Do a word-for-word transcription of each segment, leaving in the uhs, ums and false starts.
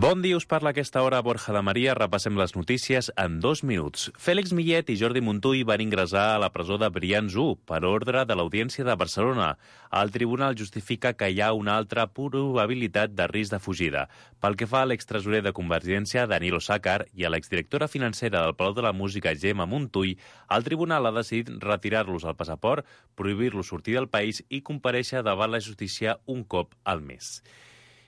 Bon dia, us parla a aquesta hora Borja de Maria. Repassem les notícies en dos minuts. Fèlix Millet i Jordi Montull van ingressar a la presó de Brians u per ordre de l'Audiència de Barcelona. El tribunal justifica que hi ha una altra probabilitat de risc de fugida. Pel que fa a l'extresorer de Convergència, Danilo Sácar, i a l'exdirectora financera del Palau de la Música, Gemma Montull, el tribunal ha decidit retirar-los el passaport, prohibir-los sortir del país i comparèixer davant la justícia un cop al mes.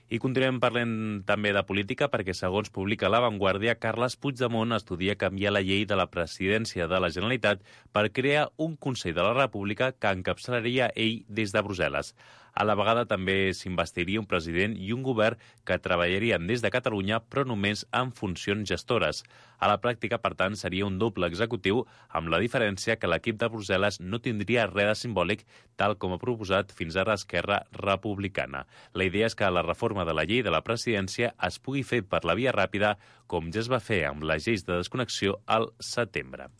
I continuem parlant també de política perquè, segons publica La Vanguardia, Carles Puigdemont estudia canviar la llei de la presidència de la Generalitat per crear un Consell de la República que encapçalaria ell des de Brussel·les. A la vegada també s'investiria un president i un govern que treballarien des de Catalunya, però només en funcions gestores. A la pràctica, per tant, seria un doble executiu, amb la diferència que l'equip de Brussel·les no tindria res de simbòlic, tal com ha proposat fins ara Esquerra Republicana. La idea és que la reforma de la llei de la presidència es pugui fer per la via ràpida, com ja es va fer amb les lleis de desconnexió al setembre.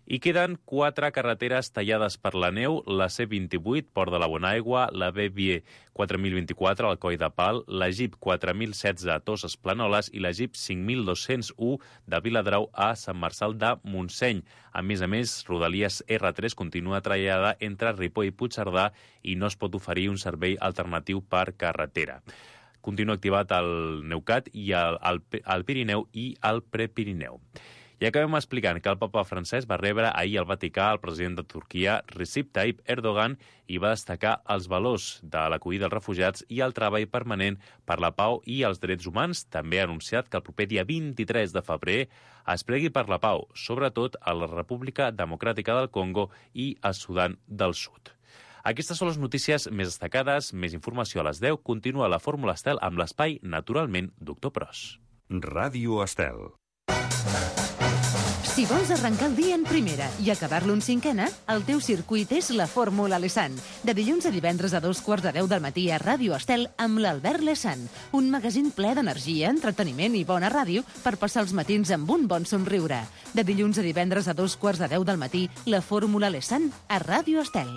I queden quatre carreteres tallades per la neu, la C vint-i-vuit, Port de la Bonaigua, la B V quatre mil vint-i-quatre, al Coll de Pal, la G I P quatre mil setze a Toses Planoles i la G I P cinc mil dos-cents u de Viladrau a Sant Marçal de Montseny. A més a més, Rodalies R tres continua tallada entre Ripoll i Puigcerdà i no es pot oferir un servei alternatiu per carretera. Continua activat el Neucat i el, el, el Pirineu i el Prepirineu. I acabem explicant que el papa francès va rebre ahir al Vaticà el president de Turquia, Recep Tayyip Erdogan, i va destacar els valors de l'acollida dels refugiats i el treball permanent per la pau i els drets humans. També ha anunciat que el proper dia vint-i-tres de febrer es pregui per la pau, sobretot a la República Democràtica del Congo i a Sudan del Sud. Aquestes són les notícies més destacades. Més informació a les deu. Continua la Fórmula Estel amb l'espai, naturalment, Doctor Pros. Ràdio Estel. Si vols arrencar el dia en primera i acabar-lo en cinquena, el teu circuit és la Fórmula Lesan. De dilluns a divendres a dos quarts de deu del matí a Ràdio Estel amb l'Albert Lesan. Un magazín ple d'energia, entreteniment i bona ràdio per passar els matins amb un bon somriure. De dilluns a divendres a dos quarts de deu del matí, la Fórmula Lesan a Ràdio Estel.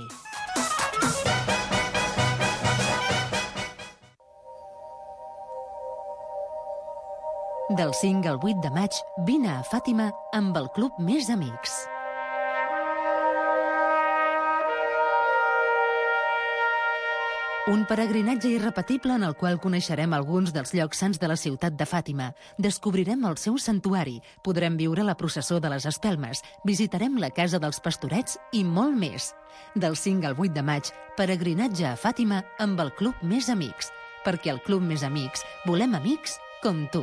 Del cinc al vuit de maig, vine a Fàtima amb el Club Més Amics. Un peregrinatge irrepetible en el qual coneixerem alguns dels llocs sants de la ciutat de Fàtima. Descobrirem el seu santuari, podrem viure la processó de les espelmes, visitarem la casa dels pastorets i molt més. Del cinc al vuit de maig, peregrinatge a Fàtima amb el Club Més Amics. Perquè al Club Més Amics volem amics com tu.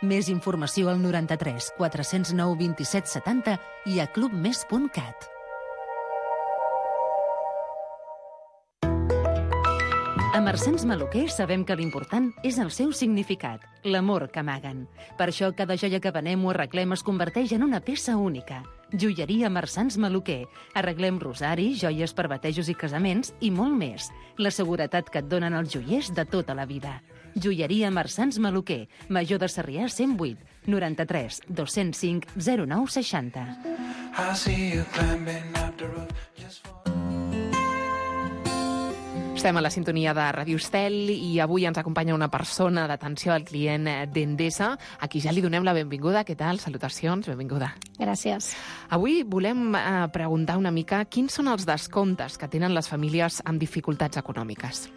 Més informació al noranta-tres quatre-cents nou vint-i-set setanta i a clubmes punt cat. A Marsans Maluquer sabem que l'important és el seu significat, l'amor que amaguen. Per això cada joia que venem o arreglem es converteix en una peça única. Joieria Marsans Maluquer. Arreglem rosaris, joies per batejos i casaments i molt més. La seguretat que et donen els joiers de tota la vida. Joieria Marsans Maluquer, Major de Sarrià cent vuit, noranta-tres dos-cents cinc zero nou seixanta. Estem a la sintonia de Ràdio Estel i avui ens acompanya una persona d'atenció al client d'Endesa, a qui ja li donem la benvinguda. Què tal? Salutacions, benvinguda. Gràcies. Avui volem eh, preguntar una mica quins són els descomptes que tenen les famílies amb dificultats econòmiques.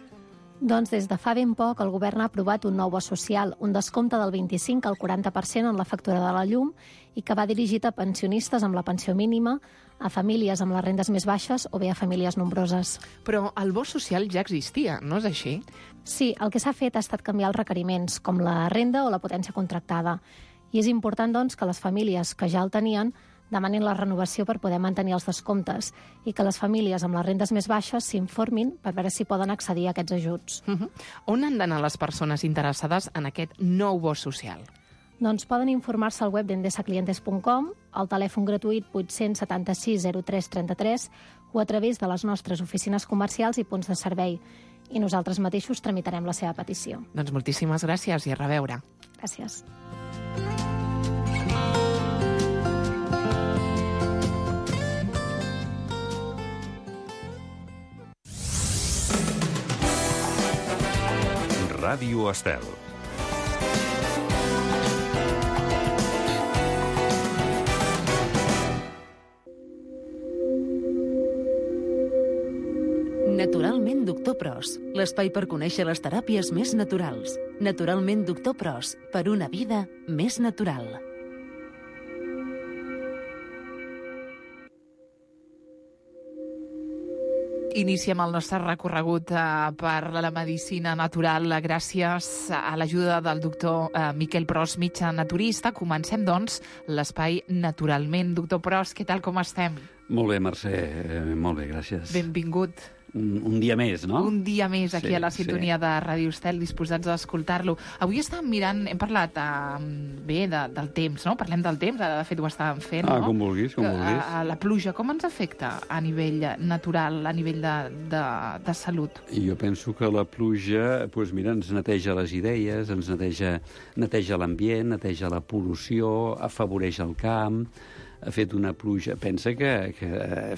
Doncs des de fa ben poc el govern ha aprovat un nou bo social, un descompte del vint-i-cinc al quaranta per cent en la factura de la llum i que va dirigit a pensionistes amb la pensió mínima, a famílies amb les rendes més baixes o bé a famílies nombroses. Però el bo social ja existia, no és així? Sí, el que s'ha fet ha estat canviar els requeriments, com la renda o la potència contractada. I és important, doncs, que les famílies que ja el tenien demanin la renovació per poder mantenir els descomptes i que les famílies amb les rendes més baixes s'informin per veure si poden accedir a aquests ajuts. Uh-huh. On han d'anar les persones interessades en aquest nou bo social? Doncs poden informar-se al web d'endesa clientes punt com, al telèfon gratuït vuit-cents setanta-sis zero tres trenta-tres o a través de les nostres oficines comercials i punts de servei. I nosaltres mateixos tramitarem la seva petició. Doncs moltíssimes gràcies i a reveure. Gràcies. Ràdio Estel. Pros, l'espai per conèixer les teràpies més naturals. Naturalment Doctor Pros, per una vida més natural. Iniciem el nostre recorregut eh, per la medicina natural gràcies a l'ajuda del doctor eh, Miquel Pros, metge naturista. Comencem, doncs, l'espai Naturalment. Doctor Pros, què tal, com estem? Molt bé, Mercè, eh, molt bé, gràcies. Benvingut. Un, un dia més, no? Un dia més aquí Sí, a la sintonia sí. de Ràdio Estel, disposats a escoltar-lo. Avui estàvem mirant, hem parlat eh, bé de, del temps, no? Parlem del temps, ara de fet ho estàvem fent, Ah, no? com vulguis, com Que, vulguis. a, a la pluja, com ens afecta a nivell natural, a nivell de, de, de salut? I jo penso que la pluja, doncs mira, ens neteja les idees, ens neteja, neteja l'ambient, neteja la pol·lució, afavoreix el camp, ha fet una pluja... Pensa que, que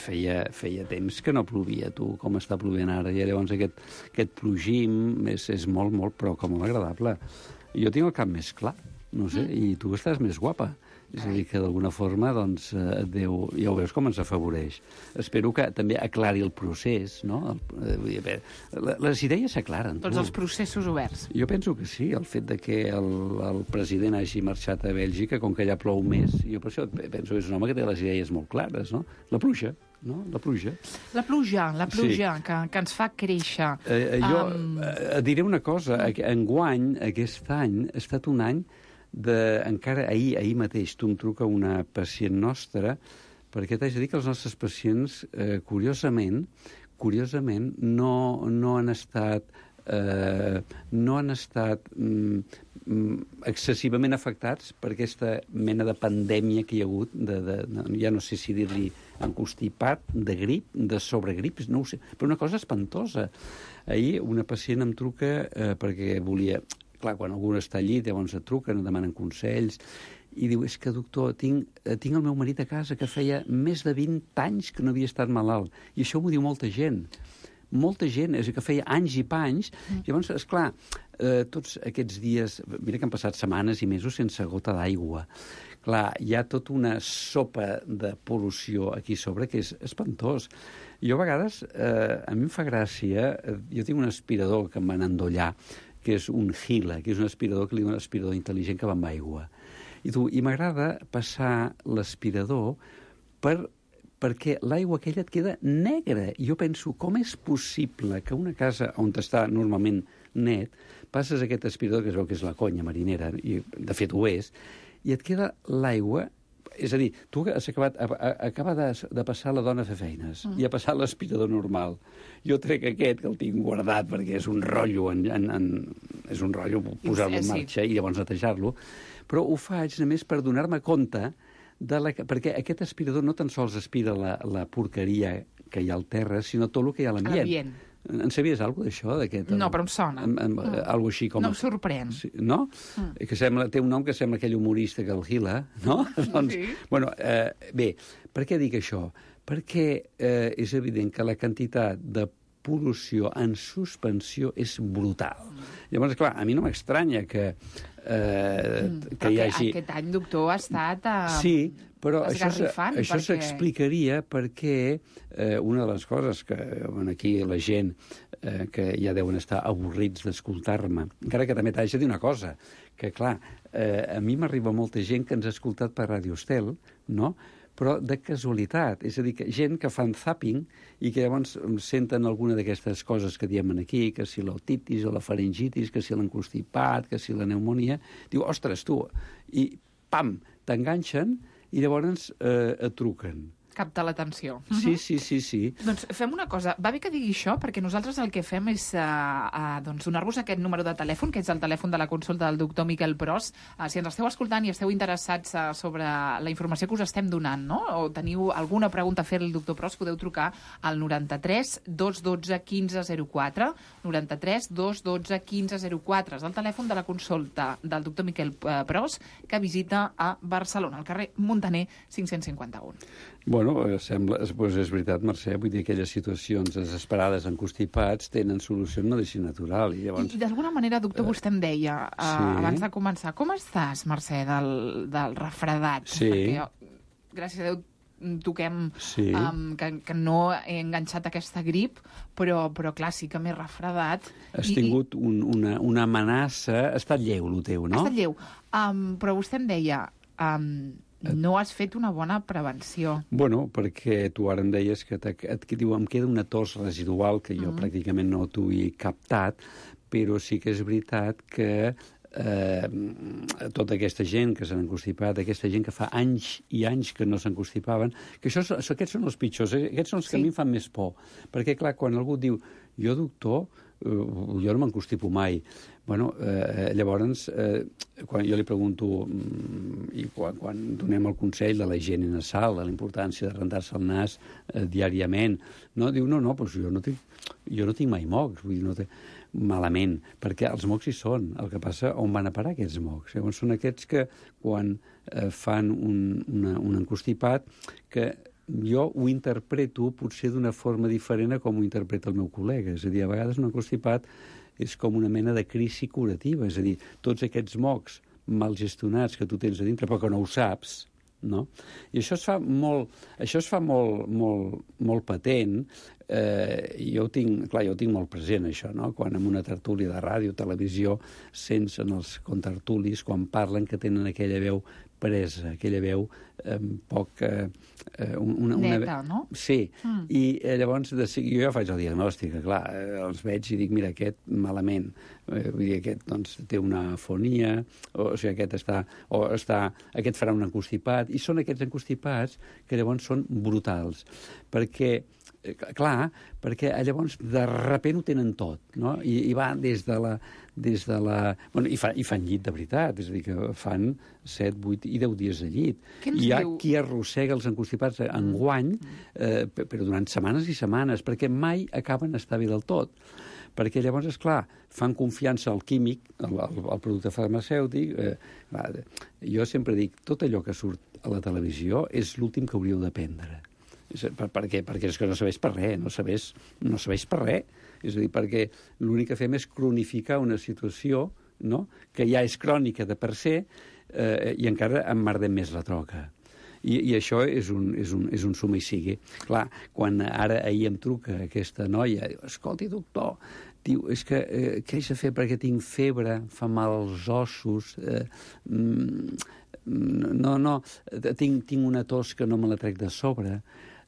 feia, feia temps que no plovia, tu, com està plovent ara, i llavors aquest, aquest plogim és, és molt, molt, però com molt agradable. Jo tinc el cap més clar, no sé, mm. i tu estàs més guapa. És a dir, que d'alguna forma, doncs, eh, Déu, ja ho veus com ens afavoreix. Espero que també aclari el procés, no? El, eh, les idees s'aclaren. Tots els processos oberts. Jo penso que sí, el fet de que el, el president hagi marxat a Bèlgica, com que allà plou més, jo per això penso que és un home que té les idees molt clares, no? La pluja, no? La pluja. La pluja, la pluja, Sí. que, que ens fa créixer. Eh, jo Um, eh, et diré una cosa, enguany, aquest any, ha estat un any de, encara ahir, ahir mateix, tu em truca una pacient nostra, perquè t'haig de dir que els nostres pacients, eh, curiosament, curiosament, no, no han estat... Eh, no han estat mm, excessivament afectats per aquesta mena de pandèmia que hi ha hagut, de, de, de, ja no sé si dir-li encostipat, de grip, de sobregrip, no ho sé, però una cosa espantosa. Ahir una pacient em truca eh, perquè volia... Clar, quan algú està al llit, llavors et truquen, et demanen consells, i diu, és que, doctor, tinc, tinc el meu marit a casa que feia més de vint anys que no havia estat malalt. I això m'ho diu molta gent. Molta gent, és que feia anys i panys. Mm. Llavors, esclar, eh, tots aquests dies... Mira que han passat setmanes i mesos sense gota d'aigua. Clar, hi ha tota una sopa de pol·lució aquí sobre que és espantós. Jo a vegades, eh, a mi em fa gràcia... Eh, jo tinc un aspirador que em van endollar, que és un Gila, que és un aspirador que li diuen un aspirador intel·ligent que va amb aigua. I, tu, i m'agrada passar l'aspirador per, perquè l'aigua aquella et queda negra. I jo penso, com és possible que una casa on està normalment net, passes aquest aspirador, que es veu que és la conya marinera, i de fet ho és, i et queda l'aigua... És a dir, tu has acabat, acaba de, de passar la dona a fer feines mm. i ha passat l'aspirador normal. Jo trec aquest, que el tinc guardat, perquè és un rotllo, en, en, en, és un rotllo posar-lo en marxa i llavors netejar-lo, però ho faig només per donar-me compte de la, perquè aquest aspirador no tan sols aspira la, la porqueria que hi ha al terra, sinó tot el que hi ha a l'ambient. En sabies alguna cosa d'això? No, però em sona. En, en, mm. Algo així com... No em sorprèn. Sí, no? Mm. Que sembla, té un nom que sembla aquell humorista que el Gila, no? doncs, sí. Bueno, eh, bé, per què dic això? Perquè eh, és evident que la quantitat de pol·lució en suspensió és brutal. Mm. Llavors, clar, a mi no m'estranya que, eh, mm. que hi hagi... Aquest any, doctor, ha estat... Eh... Sí, però això, això perquè... s'explicaria perquè eh, una de les coses que bueno, aquí la gent eh, que ja deuen estar avorrits d'escoltar-me, encara que també t'haig de dir una cosa, que clar, eh, a mi m'arriba molta gent que ens ha escoltat per Ràdio Estel, no?, però de casualitat, és a dir, que gent que fan zapping i que llavors senten alguna d'aquestes coses que diem aquí, que si l'otitis o la faringitis, que si l'encostipat, que si la pneumonia, diu, ostres, tu, i pam, t'enganxen i llavors eh, et truquen. Capta l'atenció. Sí, sí, sí, sí. Doncs fem una cosa. Va bé que digui això, perquè nosaltres el que fem és uh, uh, doncs donar-vos aquest número de telèfon, que és el telèfon de la consulta del doctor Miquel Pros. Uh, si ens esteu escoltant i esteu interessats uh, sobre la informació que us estem donant, no?, o teniu alguna pregunta a fer al doctor Pros, podeu trucar al noranta-tres dos dotze quinze zero quatre, noranta-tres dos dotze quinze zero quatre. És el telèfon de la consulta del doctor Miquel Pros, que visita a Barcelona, al carrer Muntaner cinc-cents cinquanta-un. Bueno, sembla, doncs és veritat, Mercè, vull dir, aquelles situacions desesperades, encostipats, tenen solució en medicina natural. I, llavors... I d'alguna manera, doctor, vostè em deia, uh, sí. abans de començar, com estàs, Mercè, del, del refredat? Sí. Perquè, gràcies a Déu, toquem Sí. um, que, que no he enganxat aquesta grip, però, però clar, sí que m'he refredat. Has I, tingut un, una, una amenaça... Ha estat lleu, el teu, no? Ha estat lleu. Um, però vostè em deia... Um, no has fet una bona prevenció. Bueno, perquè tu ara em deies que, et, que diu, em queda una tos residual que jo mm. pràcticament no t'ho he captat, però sí que és veritat que eh, tota aquesta gent que s'han encostipat, aquesta gent que fa anys i anys que no s'encostipaven, que això, aquests són els pitjors, aquests són els que sí. a mi em fan més por. Perquè, clar, quan algú diu, jo, doctor, eh, jo no m'encostipo mai. Bueno, eh, llavors, eh, quan jo li pregunto, mm, i quan, quan donem el consell de la higiene nasal, de la importància de rentar-se el nas eh, diàriament, no? Diu, no, no, però jo no tinc, jo no tinc mai mocs, vull dir, no té... malament, perquè els mocs hi són. El que passa, on van a parar aquests mocs? Llavors són aquests que, quan eh, fan un, una, un encostipat, que jo ho interpreto potser d'una forma diferent a com ho interpreta el meu col·lega. És a dir, a vegades un encostipat és com una mena de crisi curativa, és a dir, tots aquests mocs mal gestionats que tu tens a dintre, però que no ho saps, no? I això es fa molt, això es fa molt, molt, molt patent. Eh, jo ho tinc, clar, jo ho tinc molt present, això, no? Quan en una tertúlia de ràdio, televisió, sents en els contertulis, quan parlen, que tenen aquella veu presa, aquella veu eh, poc... Eh, una, una... Neta, no? Sí, mm. i eh, llavors de, jo ja faig el diagnòstic, clar, eh, els veig i dic, mira, aquest malament, eh, vull dir, aquest doncs, té una afonia, o, o sigui, aquest està, o està, aquest farà un encostipat, i són aquests encostipats que llavors són brutals, perquè clar, perquè llavors de repent ho tenen tot, no? I, i va des de la... Des de la... Bueno, i, fa, i fan llit de veritat, és a dir, que fan set, vuit i deu dies de llit. Hi ha diu? Qui arrossega els encostipats enguany, eh, però durant setmanes i setmanes, perquè mai acaben d'estar bé del tot. Perquè llavors, és clar, fan confiança al químic, al, al, al producte farmacèutic. Eh, va, jo sempre dic, tot allò que surt a la televisió és l'últim que hauríeu d'aprendre. Per, per què? Perquè és que no sabés per res, no sabés, no sabés per res. És a dir, perquè l'únic que fem és cronificar una situació, no?, que ja és crònica de per se, eh, i encara emmerdem més la troca. I, i això és un, és, un, és un suma i sigui. Clar, quan ara ahir em truca aquesta noia, diu, escolti, doctor, diu, és que eh, què haig de fer perquè tinc febre, fa mal als ossos, eh, mm, no, no, tinc, tinc una tos que no me la trec de sobre.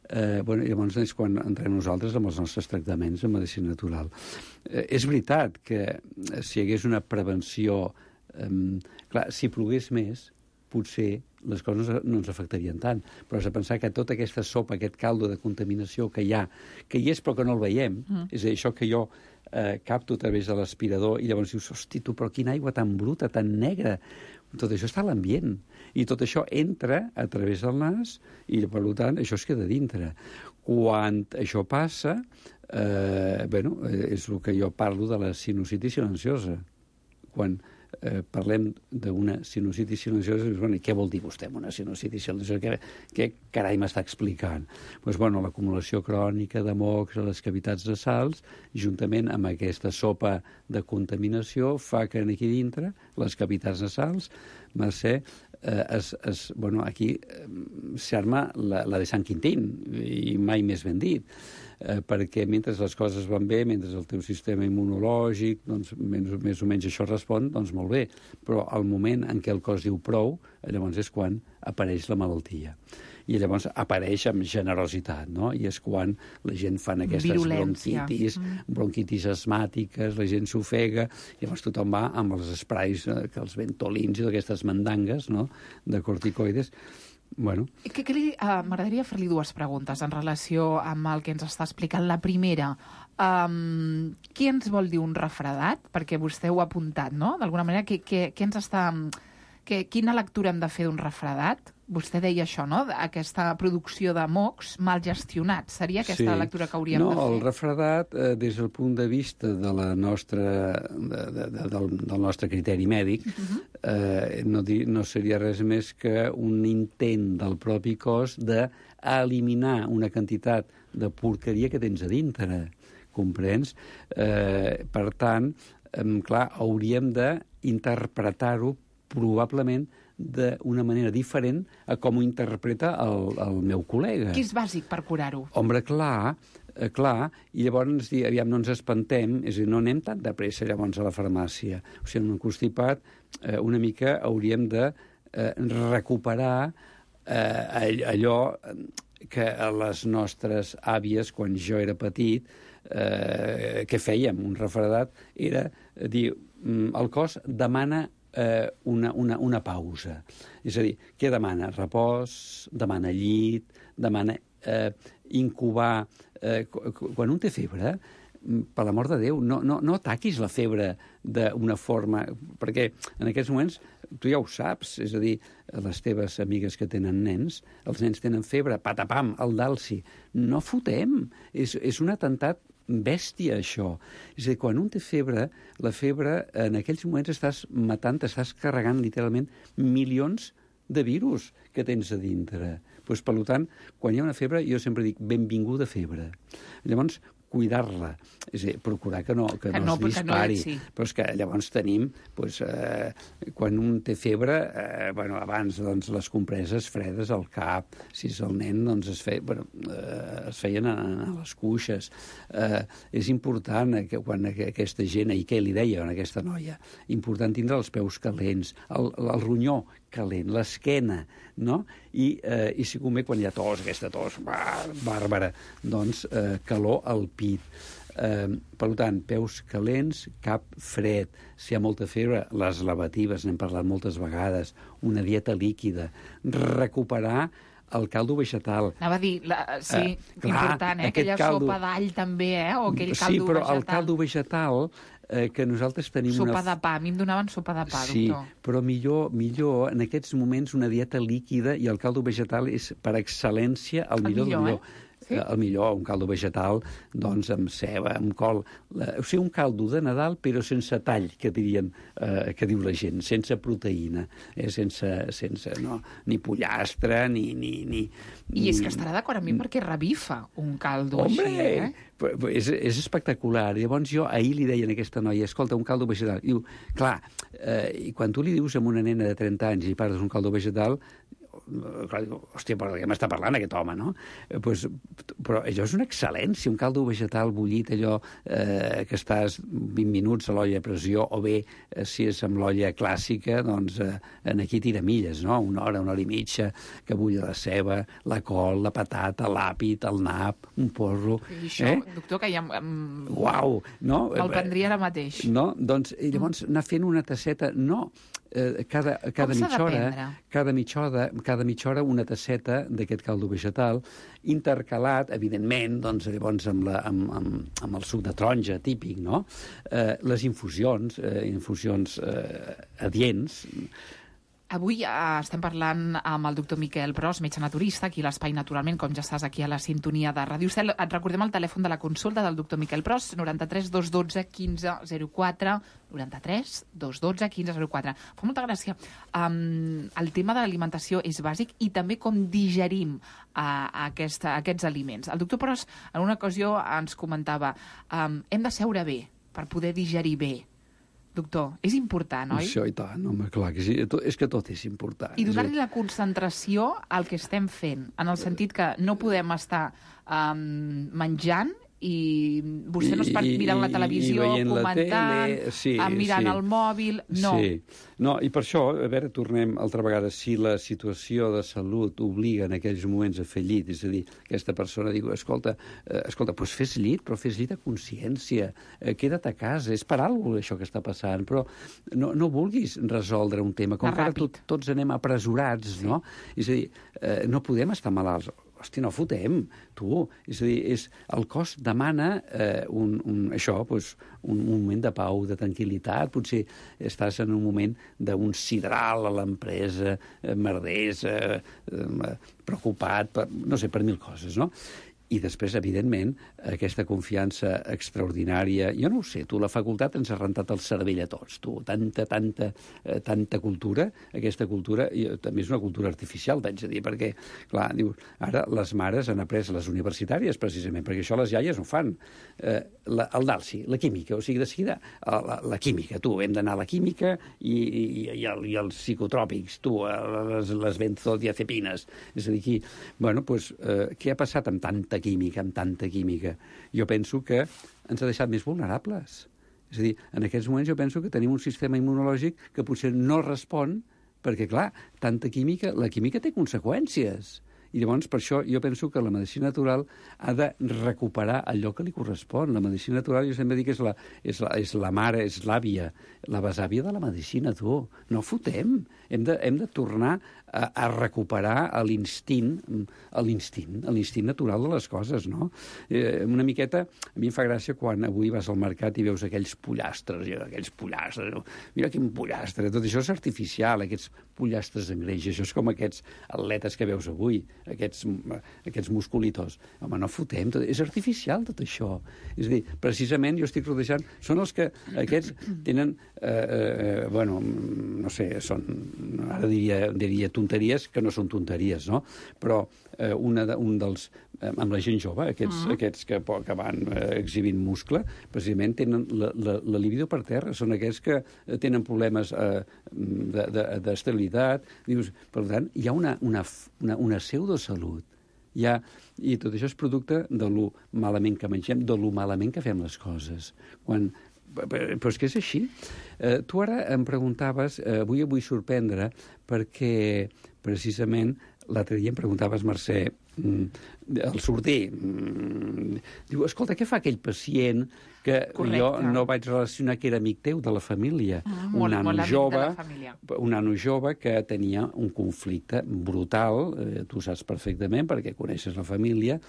Eh, bueno, llavors és quan entrem nosaltres amb els nostres tractaments en medicina natural. Eh, és veritat que si hi hagués una prevenció... Eh, clar, si plogués més, potser les coses no ens afectarien tant, però has de pensar que tota aquesta sopa, aquest caldo de contaminació que hi ha, que hi és però que no el veiem, mm. és a dir, això que jo eh, capto a través de l'aspirador i llavors dius, hosti, tu, però quina aigua tan bruta, tan negra. Tot això està a l'ambient i tot això entra a través del nas i, per tant, això es queda dintre. Quan això passa, eh, bueno, és el que jo parlo de la sinusitis silenciosa. Quan eh, parlem d'una sinusitis silenciosa, bueno, i què vol dir vostè amb una sinusitis silenciosa? Què, què carai m'està explicant? Pues, bueno, l'acumulació crònica de mocs a les cavitats nasals, juntament amb aquesta sopa de contaminació, fa que aquí dintre, les cavitats nasals, Mercè, eh, es, es, bueno, aquí eh, s'arma la, la de Sant Quintín, i mai més ben dit. Eh, perquè mentre les coses van bé, mentre el teu sistema immunològic, doncs, més, més o menys això respon, doncs molt bé. Però al moment en què el cos diu prou, llavors és quan apareix la malaltia. I llavors apareix amb generositat, no? I és quan la gent fan aquestes virulència. bronquitis, mm. bronquitis asmàtiques, la gent s'ofega, llavors tothom va amb els esprais, eh, que els ventolins i aquestes mandangues, no?, de corticoides. Bueno. Que, que li, uh, m'agradaria fer-li dues preguntes en relació amb el que ens està explicant. La primera, um, què ens vol dir un refredat? Perquè vostè ho ha apuntat, no? D'alguna manera, què, què, què ens està... Que, quina lectura hem de fer d'un refredat? Vostè deia això, no? Aquesta producció de mocs mal gestionats. Seria aquesta sí. la lectura que hauríem no, de fer? No, el refredat, eh, des del punt de vista de la nostra, de, de, de, del, del nostre criteri mèdic, uh-huh. eh, no, di, no seria res més que un intent del propi cos d'eliminar una quantitat de porqueria que tens a dintre. Comprens? Eh, per tant, eh, clar, hauríem d'interpretar-ho probablement d'una manera diferent a com ho interpreta el, el meu col·lega. Què és bàsic per curar-ho? Home, clar, eh, clar, i llavors dir, aviam, no ens espantem, és a dir, no anem tan de pressa llavors a la farmàcia. O sigui, en un constipat eh, una mica hauríem de eh, recuperar eh, allò que a les nostres àvies, quan jo era petit, eh, que fèiem, un refredat, era dir, el cos demana eh, una, una, una pausa. És a dir, què demana? Repòs, demana llit, demana eh, incubar. Eh, quan un té febre, per l'amor de Déu, no, no, no ataquis la febre d'una forma... Perquè en aquests moments, tu ja ho saps, és a dir, les teves amigues que tenen nens, els nens tenen febre, patapam, el dalsi. No fotem. És, és un atemptat bèstia, això. És a dir, quan un té febre, la febre, en aquells moments estàs matant, estàs carregant literalment milions de virus que tens a dintre. Pues, per tant, quan hi ha una febre, jo sempre dic, benvinguda febre. Llavors, cuidar-la, és a dir, procurar que no, que que no, no es dispari. No, sí. Però és que llavors tenim, doncs, eh, quan un té febre, eh, bueno, abans doncs, les compreses fredes al cap, si és el nen, doncs es, fe, bueno, eh, es feien a, a les cuixes. Eh, és important que quan aquesta gent, i què li deia a aquesta noia, important tindre els peus calents, el, el ronyó calent, l'esquena, no? I, eh, i si convé, quan hi ha tos, aquesta tos bàrbara, doncs eh, calor al pit. Eh, per tant, peus calents, cap fred. Si hi ha molta febre, les lavatives, n'hem parlat moltes vegades, una dieta líquida, recuperar el caldo vegetal. Anava a dir, la, sí, uh, clar, important, eh? Aquella caldo... sopa d'all també, eh? O aquell caldo vegetal. Sí, però vegetal. El caldo vegetal eh, que nosaltres tenim sopa una... Sopa de pa, a mi em donaven sopa de pa, sí, doctor. Sí, però millor, millor en aquests moments una dieta líquida i el caldo vegetal és per excel·lència el, el millor, millor, millor. Eh? Sí? El millor, un caldo vegetal, doncs, amb ceba, amb col... La, o sigui, un caldo de Nadal, però sense tall, que dirien, eh, que diu la gent, sense proteïna, eh, sense, sense no, ni pollastre, ni... ni, ni I és que estarà d'acord amb mi perquè revifa un caldo Hombre, així, eh? És, és espectacular. Llavors jo ahir li deia a aquesta noia, escolta, un caldo vegetal. I diu, clar, eh, i quan tu li dius a una nena de trenta anys i parles un caldo vegetal, clar, diu, hòstia, però de què m'està parlant aquest home, no? Eh, pues, però allò és una excel·lència, un caldo vegetal bullit, allò eh, que estàs vint minuts a l'olla a pressió, o bé, eh, si és amb l'olla clàssica, doncs eh, en aquí tira milles, no? Una hora, una hora i mitja, que bulla la ceba, la col, la patata, l'àpid, el nap, un porro... I això, eh? doctor, que ja... Um, Uau! No? Me'l prendria ara mateix. No? Doncs, i llavors anar fent una tasseta... No, eh, cada, cada mitja hora, cada mitja hora, cada mitja hora una tasseta d'aquest caldo vegetal, intercalat, evidentment, doncs, llavors amb, la, amb, amb, amb el suc de taronja típic, no? Eh, les infusions, eh, infusions eh, adients. Avui eh, estem parlant amb el doctor Miquel Pros, metge naturista, aquí a l'Espai Naturalment, com ja estàs aquí a la sintonia de Ràdio Estel. Et recordem el telèfon de la consulta del doctor Miquel Pros, noranta-tres dos dotze quinze zero quatre, noranta-tres dos dotze quinze zero quatre. Fa molta gràcia. Um, el tema de l'alimentació és bàsic i també com digerim uh, aquesta, aquests aliments. El doctor Pros en una ocasió ens comentava um, hem de seure bé per poder digerir bé. Doctor, és important, oi? Això i tant, home, clar que sí. És que tot és important. I donar-li la concentració al que estem fent, en el sentit que no podem estar um, menjant i vostè no es part mirant la televisió, comentant, la sí, mirant sí. el mòbil... No. Sí. No, i per això, a veure, tornem altra vegada, si la situació de salut obliga en aquells moments a fer llit, és a dir, aquesta persona diu, escolta, eh, escolta, doncs fes llit, però fes llit a consciència, eh, queda't a casa, és per alguna cosa això que està passant, però no, no vulguis resoldre un tema, com que ara tot, tots anem apresurats, sí. No? És a dir, eh, no podem estar malalts. Hosti, no fotem, tu. És a dir, és, el cos demana eh, un, un, això, doncs, un, un moment de pau, de tranquil·litat. Potser estàs en un moment d'un sidral a l'empresa, eh, merders, eh, eh, preocupat, per, no sé, per mil coses, no? I després, evidentment, aquesta confiança extraordinària... Jo no ho sé, tu, la facultat ens ha rentat el cervell a tots, tu. Tanta, tanta, eh, tanta cultura, aquesta cultura, i també és una cultura artificial, t'haig de dir, perquè, clar, dius, ara les mares han après les universitàries, precisament, perquè això les iaies no fan. Eh, la, el DALSI, la química, o sigui, de seguida, la, la química, tu, hem d'anar a la química i, i, i, el, i els psicotròpics, tu, les, les benzodiazepines. És a dir, aquí, bueno, doncs, eh, què ha passat amb tanta química, amb tanta química? Jo penso que ens ha deixat més vulnerables. És a dir, en aquests moments jo penso que tenim un sistema immunològic que potser no respon perquè, clar, tanta química, la química té conseqüències. I llavors, per això, jo penso que la medicina natural ha de recuperar allò que li correspon. La medicina natural, jo sempre dic que és la, és la, és la mare, és l'àvia, la besàvia de la medicina, tu. No fotem. Hem de, hem de tornar a, a recuperar l'instint, l'instint, l'instint natural de les coses, no? Eh, una miqueta, a mi em fa gràcia quan avui vas al mercat i veus aquells pollastres, aquells pollastres, no? Mira quin pollastre, tot això és artificial, aquests pollastres en greix, això és com aquests atletes que veus avui, aquests, aquests musculitos. Home, no fotem, tot, és artificial tot això. És a dir, precisament jo estic rodejant, són els que aquests tenen, eh, eh, bueno, no sé, són, ara diria, diria tonteries que no són tonteries, no? Però eh, una de, un dels, eh, amb la gent jove, aquests, uh -huh. aquests que, que van eh, exhibint muscle, precisament tenen la, la, la libido per terra, són aquests que tenen problemes eh, d'estabilitat. Dius, per tant, hi ha una, una, una, una pseudosalut. Hi ha, i tot això és producte de lo malament que mengem, de lo malament que fem les coses. Quan però és que és així. Eh, tu ara em preguntaves, eh, avui em vull sorprendre, perquè precisament l'altre dia em preguntaves, Mercè, mm, el sorder, mm, diu, escolta, què fa aquell pacient que Correcte. Jo no vaig relacionar que era amic teu, de la família? Ah, un molt, nano molt amic jove, de la família. un nano jove que tenia un conflicte brutal, eh, tu saps perfectament, perquè coneixes la família,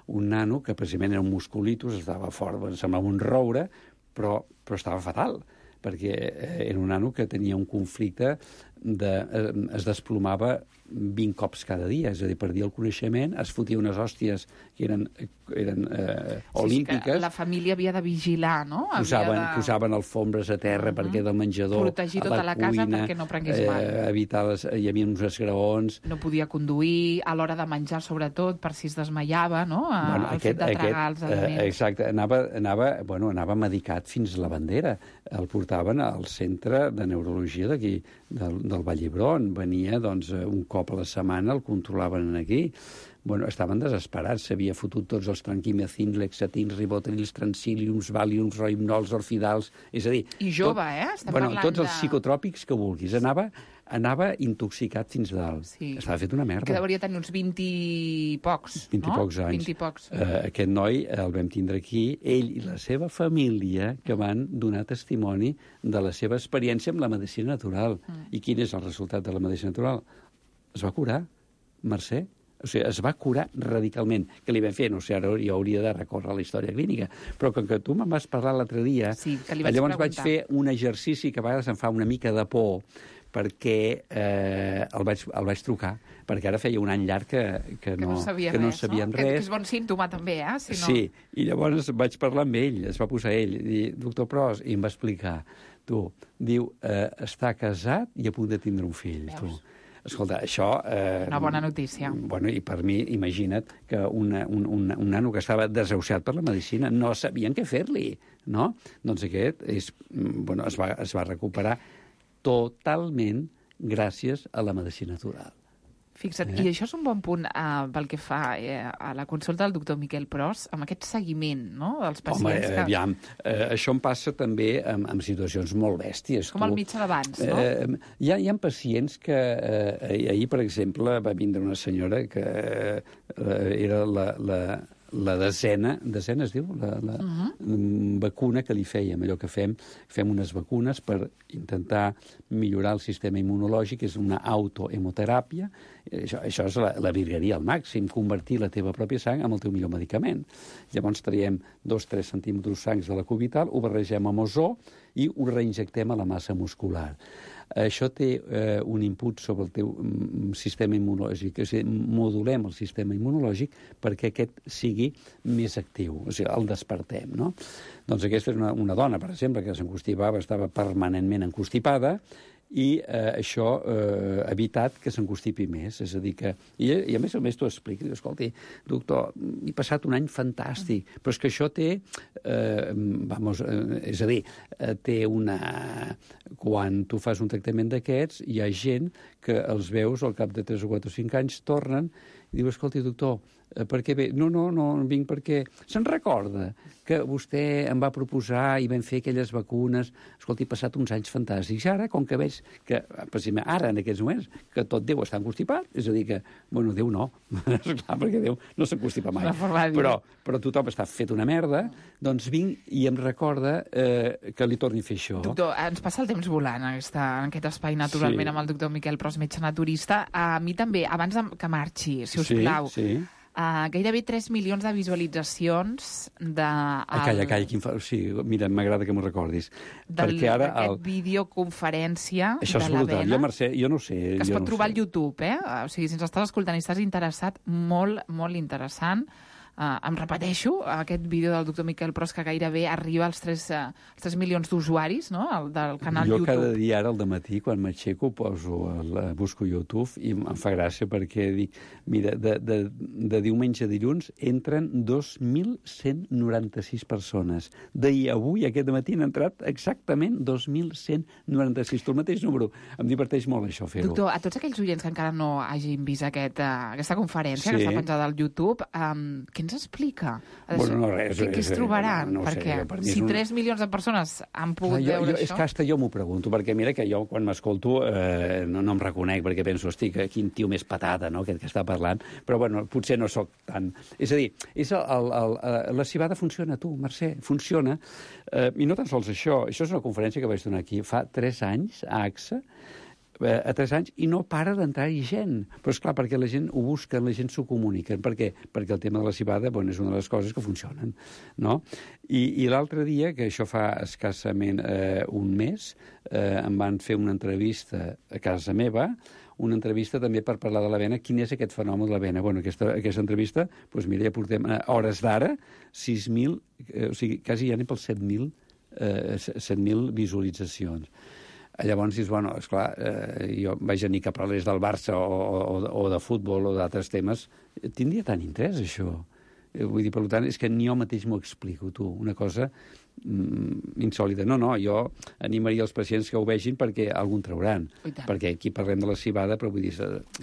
un nano que precisament era un musculitus, estava fort, em semblava un roure, però, però estava fatal, perquè eh, era un nano que tenia un conflicte, de, eh, es desplomava vint cops cada dia, és a dir, perdia el coneixement, es fotia unes hòsties que eren, eren eh, olímpiques. Sí, sí, la família havia de vigilar, no? Posaven, havia de... posaven alfombres a terra uh -huh. perquè del menjador, protegir tota a la, la cuina, casa perquè no prengués mal. Eh, evitar les, hi havia uns esgraons. No podia conduir, a l'hora de menjar, sobretot, per si es desmaiava, no? A, Bueno, el aquest, fet de tragar aquest, els aliments. eh, exacte, anava, anava, bueno, anava medicat fins a la bandera. El portaven al centre de neurologia d'aquí, del, del Vall d'Hebron. Venia, doncs, un cop a la setmana, el controlaven aquí. Bueno, estaven desesperats, s'havia fotut tots els tranquimacins, lexatins, ribotrils, transiliums, valiums, rohipnols, orfidals, és a dir... I jove, tot, eh? Estem bueno, parlant tots els de... psicotròpics que vulguis. Anava, anava intoxicat fins dalt. Sí. Estava fet una merda. Que hauria tenir uns vint i pocs, vint i no? pocs anys. vint i pocs. Uh, aquest noi el vam tindre aquí, ell i la seva família, que van donar testimoni de la seva experiència amb la medicina natural. Mm. I quin és el resultat de la medicina natural? Es va curar, Mercè. O sigui, es va curar radicalment. Què li vam fer? No sé, ara jo hauria de recórrer a la història clínica. Però com que tu me'n vas parlar l'altre dia, sí, que li vaig llavors preguntar. vaig fer un exercici que a vegades em fa una mica de por, perquè eh, el, vaig, el vaig trucar, perquè ara feia un any llarg que, que, no, que no sabia que no res, sabíem no? res. Que és bon símptoma, també, eh? Si no... Sí, i llavors vaig parlar amb ell, es va posar ell, i dir, doctor Pros, i em va explicar, tu, diu, eh, està casat i a punt de tindre un fill, Veus? tu. Escolta, això... Eh, Una bona notícia. Bueno, i per mi, imagina't que una, un, un, un nano que estava desahuciat per la medicina no sabien què fer-li, no? Doncs aquest és, bueno, es, va, es va recuperar totalment gràcies a la medicina natural. Fixa't, Eh? i això és un bon punt uh, pel que fa eh, a la consulta del doctor Miquel Pros, amb aquest seguiment, no?, dels pacients. Home, que... aviam, eh, això em passa també en, en situacions molt bèsties. Com el mitjà d'abans, no? Eh, hi, ha, hi ha pacients que... Eh, ahir, per exemple, va vindre una senyora que eh, era la... la la desena, desena es diu, la, la uh -huh. vacuna que li fèiem, allò que fem, fem unes vacunes per intentar millorar el sistema immunològic, és una autohemoteràpia, Això, això és la, la virgueria al màxim, convertir la teva pròpia sang en el teu millor medicament. Llavors traiem dos tres centímetres sangs de la cubital, ho barregem amb ozó i ho reinjectem a la massa muscular. Això té eh, un input sobre el teu mm, sistema immunològic, és a dir, modulem el sistema immunològic perquè aquest sigui més actiu, o sigui, el despertem, no? Doncs aquesta és una, una dona, per exemple, que s'encostipava, estava permanentment encostipada, i eh, això eh, ha evitat que s'encostipi més. És a dir que... I, i a més a més t'ho explico. Escolti, doctor, he passat un any fantàstic, però és que això té... Eh, vamos, eh, és a dir, eh, té una... Quan tu fas un tractament d'aquests, hi ha gent que els veus al cap de tres o quatre o cinc anys tornen i diu, escolti, doctor, per què ve? No, no, no, vinc perquè... Se'n recorda que vostè em va proposar i vam fer aquelles vacunes. Escolti, he passat uns anys fantàstics. Ara, com que veig que, ara, en aquests moments, que tot Déu està encostipat, és a dir que, bueno, Déu no, esclar, perquè Déu no s'encostipa mai. Però, però tothom està fet una merda, doncs vinc i em recorda eh, que li torni a fer això. Doctor, ens passa el temps volant en, aquesta, en aquest espai, naturalment, sí. Amb el doctor Miquel Pros, metge naturista. A mi també, abans que marxi, si us sí, plau, sí. Uh, gairebé tres milions de visualitzacions de... El... Calla, calla, quin fa... sí, mira, m'agrada que m'ho recordis. Del, perquè ara... D'aquest el... videoconferència Això de la brutal. vena. Jo, Mercè, jo no ho sé. Que es jo pot no trobar sé. al YouTube, eh? O sigui, si ens estàs escoltant i estàs interessat, molt, molt interessant. Uh, em repeteixo, aquest vídeo del doctor Miquel Pros que gairebé arriba als tres, uh, als tres milions d'usuaris, no?, el, del canal jo YouTube. Jo cada dia ara al dematí, quan m'aixeco, poso el, busco YouTube i em fa gràcia perquè dic, mira, de, de, de diumenge a dilluns entren dos mil cent noranta-sis persones. D'ahir a avui, aquest matí, han entrat exactament dos mil cent noranta-sis. Tu el mateix número. Em diverteix molt això, fer-ho. Doctor, a tots aquells oients que encara no hagin vist aquest, uh, aquesta conferència, sí. que està penjada al YouTube, um, què ens explica? Bueno, no, res, què, què es trobaran? no, no perquè sé, per si un... tres milions de persones han pogut Clar, jo, veure jo, això... És que hasta jo m'ho pregunto, perquè mira que jo quan m'escolto eh, no, no em reconec, perquè penso, hosti, quin tio més patata, no?, aquest que està parlant, però bueno, potser no sóc tan... És a dir, és el, el, el, la cibada funciona, tu, Mercè, funciona, eh, i no tan sols això, això és una conferència que vaig donar aquí fa tres anys a A X A, a tres anys, i no para d'entrar-hi gent. Però és clar, perquè la gent ho busca, la gent s'ho comunica. Per què? Perquè el tema de la cibada, bueno, és una de les coses que funcionen, no? I, i l'altre dia, que això fa escassament eh, un mes, eh, em van fer una entrevista a casa meva, una entrevista també per parlar de la vena, quin és aquest fenomen de la vena. Bueno, aquesta, aquesta entrevista, doncs mira, ja portem a hores d'ara, sis mil, eh, o sigui, quasi ja anem pels set mil eh, set mil visualitzacions. Llavors dius, bueno, esclar, eh, jo vaig a dir que parlés del Barça o, o, o de futbol o d'altres temes. Tindria tant interès, això. Eh, vull dir, per tant, és que ni jo mateix m'ho explico, tu. Una cosa mm, insòlita. No, no, jo animaria els pacients que ho vegin perquè algun trauran. Perquè aquí parlem de la cibada, però vull dir,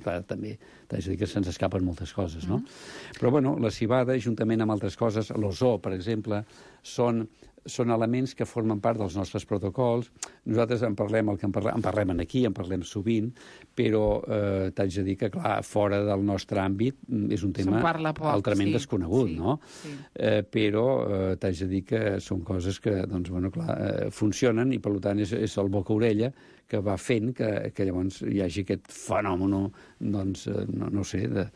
clar, també t'haig de dir que se'ns escapen moltes coses, no? Mm. Però, bueno, la cibada, juntament amb altres coses, l'ozó, per exemple, són... són elements que formen part dels nostres protocols. Nosaltres en parlem, el que en parlem, en parlem aquí, en parlem sovint, però eh, t'haig de dir que, clar, fora del nostre àmbit és un tema poc, altrament sí, desconegut, sí, no? Sí. Eh, però eh, t'haig de dir que són coses que, doncs, bueno, clar, eh, funcionen i, per tant, és, és el boca-orella que va fent que, que llavors hi hagi aquest fenomen, doncs, eh, no, no sé, de...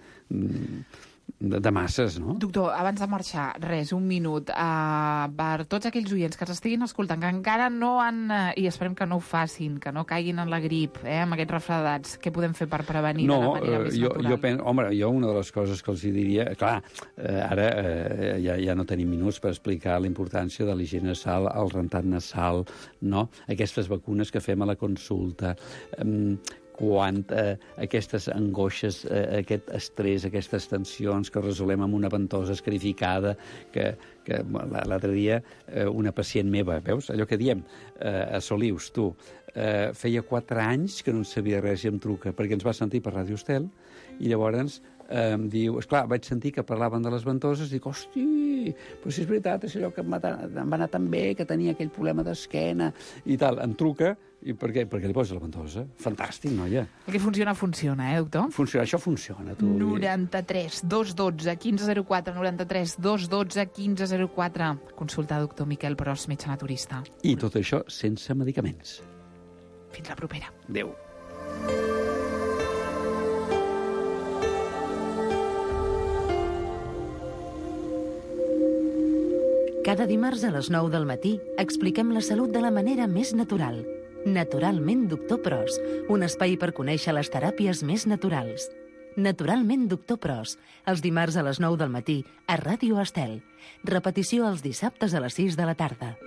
De, de masses, no? Doctor, abans de marxar, res, un minut. Uh, per tots aquells oients que ens estiguin escoltant, que encara no han, uh, i esperem que no ho facin, que no caiguin en la grip, eh, amb aquests refredats, què podem fer per prevenir no, de manera més jo, natural? Jo pen... Home, jo una de les coses que els diria... Clar, eh, ara eh, ja, ja no tenim minuts per explicar la importància de l'higiene nasal, el rentat nasal, no? Aquestes vacunes que fem a la consulta... Eh, quan eh, aquestes angoixes, eh, aquest estrès, aquestes tensions que resolem amb una ventosa escarificada, que, que l'altre dia eh, una pacient meva, veus, allò que diem, eh, a Solius, tu, eh, feia quatre anys que no en sabia res i em truca, perquè ens va sentir per Ràdio Estel, i llavors eh, em diu, esclar, vaig sentir que parlaven de les ventoses, dic, hosti, però si és veritat, és allò que em va, em va anar tan bé, que tenia aquell problema d'esquena, i tal, em truca, i per què? Perquè li posa la ventosa. Fantàstic, noia. El que funciona, funciona, eh, doctor? Funciona, això funciona, tu. noranta-tres dos dotze quinze zero quatre, noranta-tres dos dotze quinze zero quatre. Consulta doctor Miquel Pros, metge naturista. I tot això sense medicaments. Fins la propera. Adéu. Cada dimarts a les nou del matí expliquem la salut de la manera més natural. Naturalment Doctor Pros, un espai per conèixer les teràpies més naturals. Naturalment Doctor Pros, els dimarts a les nou del matí a Ràdio Estel. Repetició els dissabtes a les sis de la tarda.